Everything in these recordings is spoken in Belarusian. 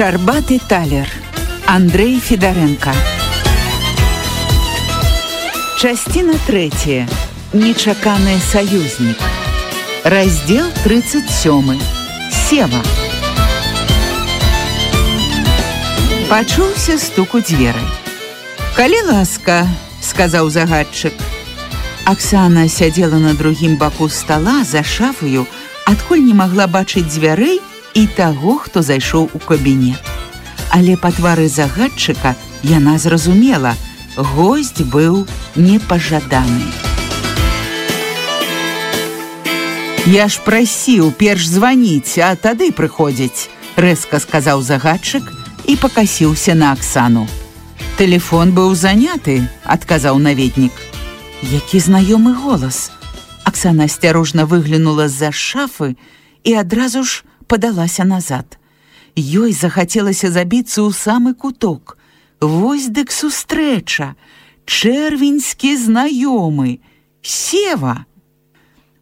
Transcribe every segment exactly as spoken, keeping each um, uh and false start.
Шчарбаты талер. Андрей Федоренко. Частина третья. Нечаканы саюзнік. Раздел тридцать сёмы. Сева. Пачуўся стук у дзверы. «Калі ласка», — сказаў загадчык. Аксана сядзела на другім баку стола за шафаю, адкуль не магла бачыць дзвярэй і таго, хто зайшоў у кабінет. Але па твары загадчыка яна зразумела, госць быў непажаданы. «Я ж прасіў перш званіць, а тады прыходзіць», — рэзка сказаў загадчык і пакасіўся на Аксану. «Тэлефон быў заняты», — адказаў наведнік. Які знаёмы голас. Аксана асцярожна выглянула з-за шафы і адразу ж падалася назад. Ёй захацелася забіцца ў самы куток. Вось дык сустрэча. Чэрвеньскі знаёмы. Сева.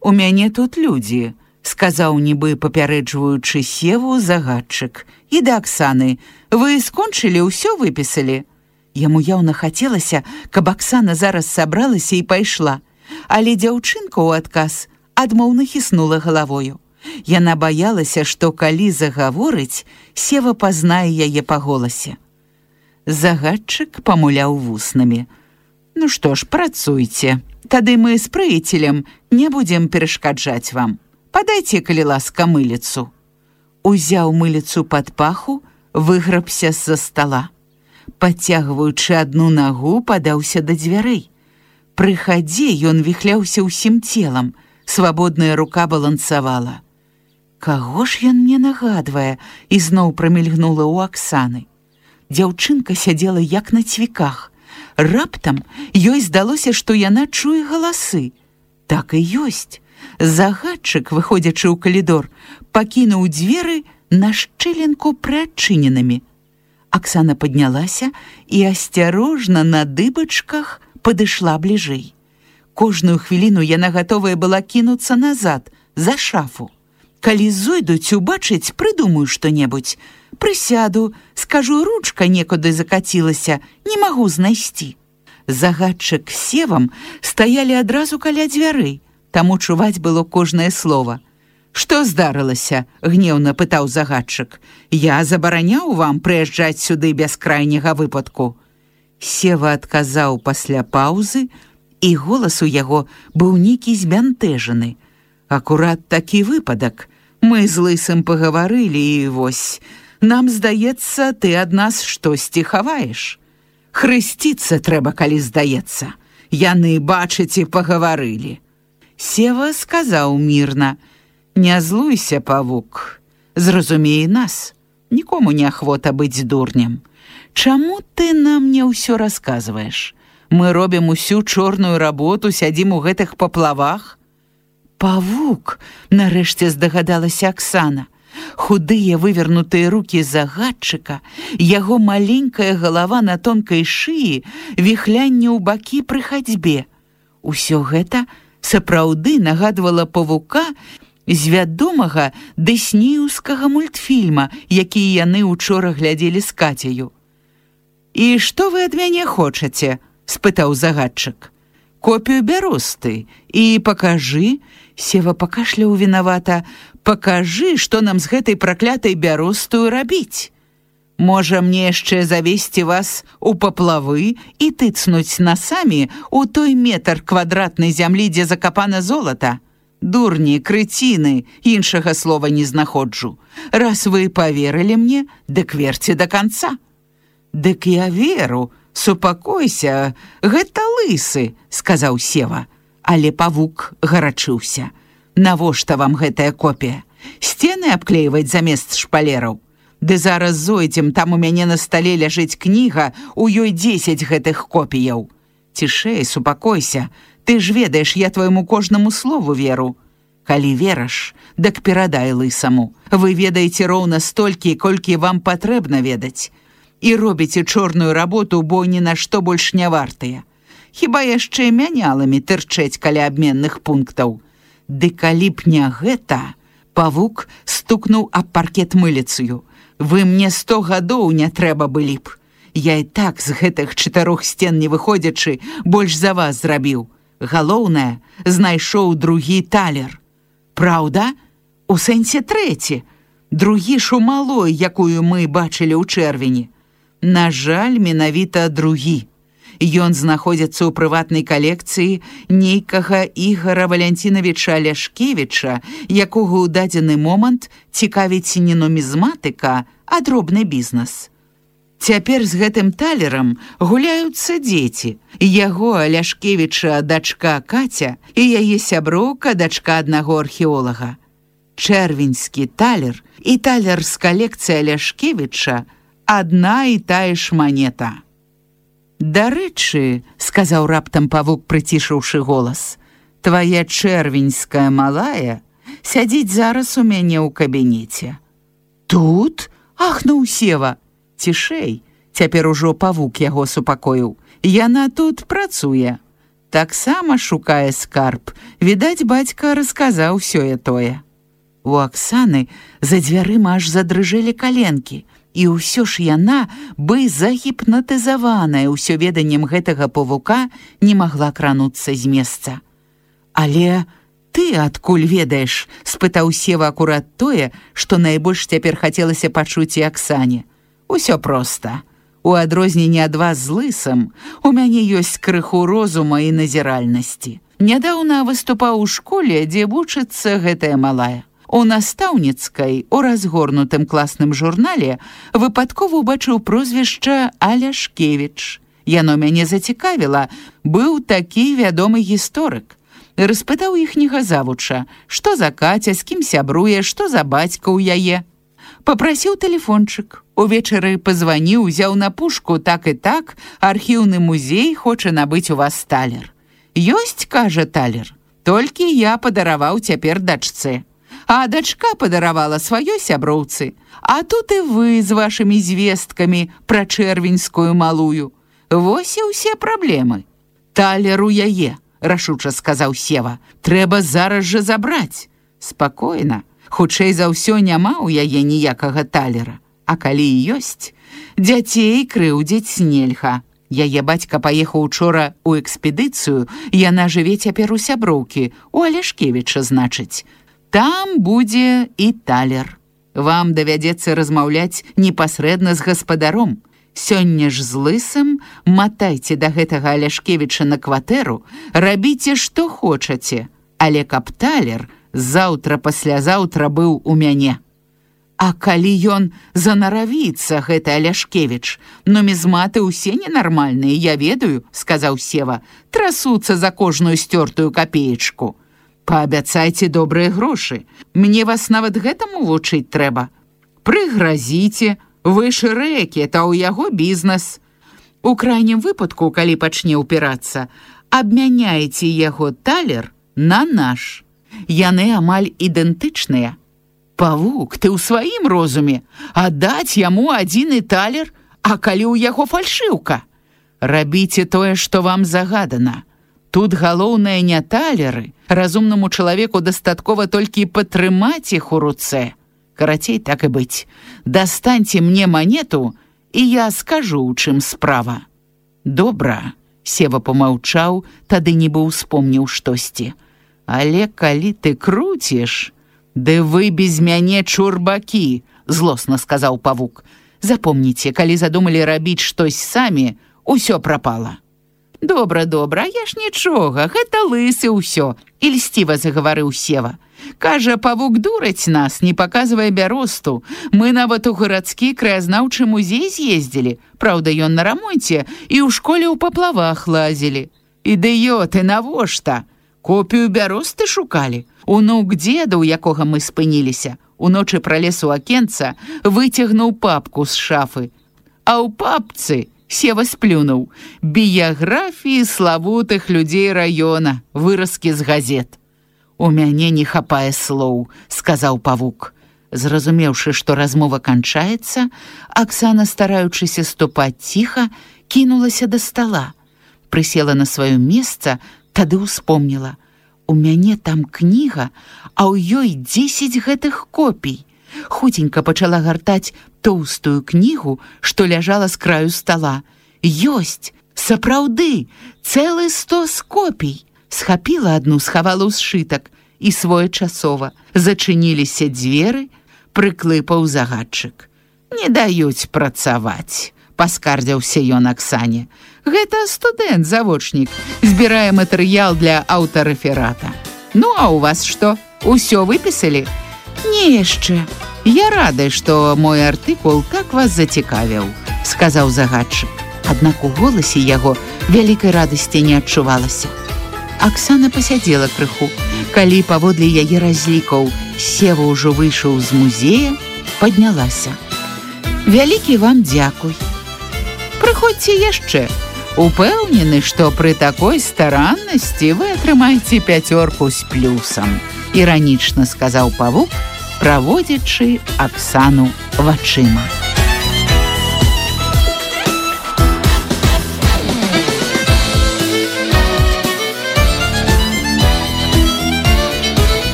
«У мяне тут людзі», — сказаў нібы папярэджваючы Севу загадчык. «І да Аксаны. Вы скончылі, ўсё выпісалі?» Яму яўна хацелася, каб Аксана зараз сабралася і пайшла. Але дзяўчынка ў адказ адмоўна хіснула галавою. Яна баялася, што калі загаворыць, Сева пазнае яе па голасе. Загадчык памуляў вуснамі. «Ну што ж, працуйце. Тады мы з прыяцелем не будзем перашкаджаць вам. Падайце, калі ласка, мыліцу». Узяў мыліцу пад паху, выграбся з-за стола. Падцягваючы адну нагу, падаўся да дзвярэй. Пры хадзе ён віхляўся ўсім целам, свабодная рука балансавала. Каго ж ён мне нагадвае, ізноў прамільгнула ў Аксаны. Дзяўчынка сядзела як на цвіках. Раптам ёй здалося, што яна чуе галасы. Так і ёсць. Загадчык, выходзячы ў калідор, пакінуў дзверы на шчылінку прыадчыненымі. Аксана паднялася і асцярожна на дыбачках падышла бліжэй. Кожную хвіліну яна гатовая была кінуцца назад, за шафу. Калі зойдуць убачыць, прыдумаю што-небудзь. Прысяду, скажу, ручка некуды закацілася, не магу знайсці. Загадчык з Севам стаялі адразу каля дзвярэй, таму чуваць было кожнае слова. «Што здарылася?» — гневна пытаў загадчык. «Я забараняў вам прыязджаць сюды без крайняга выпадку». Сева адказаў пасля паўзы, і голас у яго быў нейкі збянтэжаны. «Акурат такі выпадак. Мы з лысым пагаварылі, і вось. Нам здаецца, ты ад нас штосьці хаваеш. Хрысціцца трэба, калі здаецца. Яны, бачыце, пагаварылі». Сева сказаў мірна: «Не злуйся, павук. Зразумей нас. Нікому не ахвота быць дурнем. Чаму ты нам не ўсё расказваеш? Мы робім усю чорную работу, сядзім у гэтых паплавах». «Павук», — нарэшце здагадалася Аксана. Худыя вывернутыя рукі загадчыка, яго маленькая галава на тонкай шыі, віхлянне ў бакі пры хадзьбе. Усё гэта сапраўды нагадвала павука з вядомага дыснеўскага мультфільма, які яны учора глядзелі з Кацяю. «І што вы ад мяне хочаце?» — спытаў загадчык. «Копію бяросты і пакажы». Сева пакашляў вінавата. «Пакажы, што нам з гэтай праклятай бяростаю рабіць. Можа, мне яшчэ завесці вас у паплавы і тыцнуць насамі у той метр квадратнай зямлі, дзе закапана золата? Дурні, крыціны, іншага слова не знаходжу. Раз вы паверылі мне, дык верце да канца». «Дык я веру, супакойся, гэта лысы», — сказаў Сева. Але павук гарачыўся. «Навошта вам гэтая копія? Сцены абклеіваць замест шпалераў? Ды зараз зойдзем, там у мяне на стале ляжыць кніга, у ёй дзесяць гэтых копіяў. Цішэй, супакойся, ты ж ведаеш, я твайму кожнаму слову веру. Калі вераш, дык перадай лысаму. Вы ведаеце роўна столькі, колькі вам патрэбна ведаць. І робіце чорную работу, бо ні на што больш не вартыя. Хіба яшчэ мяняламі тырчэць каля абменных пунктаў. Ды калі б не гэта...» Павук стукнуў аб паркет мыліцаю. Вы мне сто гадоў не трэба былі б. Я і так з гэтых чатырох сцен не выходзячы больш за вас зрабіў. Галоўнае, знайшоў другі талер. Праўда? У сэнсе трэці. Другі ж у малой, якую мы бачылі ў чэрвені. На жаль, менавіта другі. Ён знаходзіцца ў прыватнай калекцыі нейкага Ігара Валянцінавіча Ляшкевіча, якога ў дадзены момант цікавіць не нумізматыка, а дробны бізнес. Цяпер з гэтым талерам гуляюцца дзеці. Яго, Ляшкевіча, дачка Каця і яе сяброўка, дачка аднаго археолага. Чэрвеньскі талер і талер з калекцыі Ляшкевіча адна і тая ж манета. Дарэчы, сказаў раптам павук, прыцішыўшы голас, твая чэрвеньская малая сядзіць зараз у мяне ў кабінеце. Тут? Ахнуў Сева. Цішэй, цяпер ужо павук яго супакоіў. Яна тут працуе. Таксама шукае скарб. Відаць, бацька расказаў сёе-тое. У Аксаны за дзвярыма аж задрыжэлі каленкі. І ўсё ж яна, бы загіпнатызаваная ўсё веданнем гэтага павука, не магла крануцца з месца. Але ты адкуль ведаеш? Спытаў Сева акурат тое, што найбольш цяпер хацелася пачуць і Аксане. Усё проста. У адрозненне ад вас з лысам, у мяне ёсць крыху розума і назіральнасці. Нядаўна выступаў у школе, дзе вучыцца гэтая малая. У настаўніцкай, у разгорнутым класным журнале выпадкова ўбачыў прозвішча Аляшкевіч. Яно мяне зацікавіла, быў такі вядомы гісторык. Распытаў іхняга завуча, што за Каця, з кім сябруе, што за бацька ў яе. Папрасіў тэлефончык. Увечары пазваніў, узяў на пушку, так і так, архіўны музей хоча набыць у вас талер. Ёсць, кажа, талер, толькі я падараваў цяпер дачцы. А дачка падаравала сваёй сяброўцы. А тут і вы з вашымі звесткамі пра чэрвеньскую малую. Вось і ўсе праблемы. Талер у яе, рашуча сказаў Сева. Трэба зараз жа забраць. Спакойна. Хутчэй за ўсё няма ў яе ніякага талера. А калі і ёсць, дзяцей крыўдзіць нельга. Яе бацька паехаў учора ў экспедыцыю, яна жыве цяпер у сяброўкі, у Аляшкевіча, значыць. Там будзе і талер. Вам давядзецца размаўляць непасрэдна з гаспадаром. Сёння ж з лысым матайце да гэтага Аляшкевіча на кватэру, рабіце, што хочаце, але каб талер заўтра-паслязаўтра быў у мяне. А калі ён занаравіцца, гэты Аляшкевіч, нумізматы ўсе ненармальныя, я ведаю, сказаў Сева, трасуцца за кожную сцёртую капеечку. Паабяцайце добрыя грошы, мне вас нават гэтаму вучыць трэба. Прыгразіце, вы ж рэкі, та ў яго бізнес. У крайнім выпадку, калі пачне ўпірацца, абмяняеце яго талер на наш. Яны амаль ідэнтычныя. Павук, ты ў сваім розуме, аддаць яму адзіны талер, а калі ў яго фальшыўка? Рабіце тое, што вам загадана. Тут галоўнае не талеры, разумнаму чалавеку дастаткова толькі патрымаць іх у руцэ. Карацей, так і быць. Дастаньце мне манету, і я скажу, у чым справа. Добра, Сева помаўчаў, тады нібы ўспомніў штосьці. Але калі ты круціш... «Ды вы без мяне чурбакі», – злосна сказаў павук. «Запомніце, калі задумалі рабіць штось самі, усё прапала». «Добра, добра, я ж нічога, гэта лысы ўсё», – ільсціва загаварыў Сева. «Кажа, павук дураць нас, не паказвае бяросту. Мы нават у гарадскі краязнаўчы музей з'ездзілі. Праўда, ён на рамонце, і ў школе ў паплавах лазілі. Ідыёты, навошта? Копію бяросты шукалі. Унук дзеда, у якога мы спыніліся, уночы пралез у акенца, выцягнуў папку з шафы. А ў папцы, Сева сплюнуў, біяграфіі славутых людзей раёна, выразкі з газет. «У мяне не хапае слоў», – сказаў павук. Зразумеўшы, што размова канчаецца, Аксана, стараючыся ступаць ціха, кінулася да стала. Прысела на сваё месца, тады ўспомніла. У мяне там кніга, а ў ёй дзесяць гэтых копій. Хуценька пачала гартаць тоўстую кнігу, што ляжала з краю стала. Ёсць, сапраўды, цэлы стос копій. Схапіла адну, схавала ў сшытак, і своечасова зачыніліся дзверы, прыклыпаў загадчык. Не даюць працаваць, паскардзіўся ён Аксане. Гэта студэнт-завочнік, збірае матэрыял для аўтарэферата. Ну, а у вас што? Усё выпісалі? Не яшчэ. Я рады, што мой артыкул так вас зацікавіў, сказаў загадчык. Аднак у голасе яго вялікай радасці не адчувалася. Аксана пасядзела крыху. Калі паводле яе разлікаў Сева ўжо выйшаў з музея, паднялася. Вялікі вам дзякуй. Прыходзьце яшчэ. Упэўнены, што пры такой стараннасці вы атрымаеце пяцёрку з плюсам, іранічна сказаў павук, праводзячы Аксану вачыма.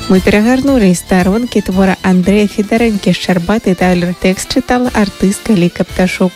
Мы перагарнулі старонкі твора Андрэя Федарэнкі «Шчарбаты талер». Тэкст чытала артыстка Ліка Пташук.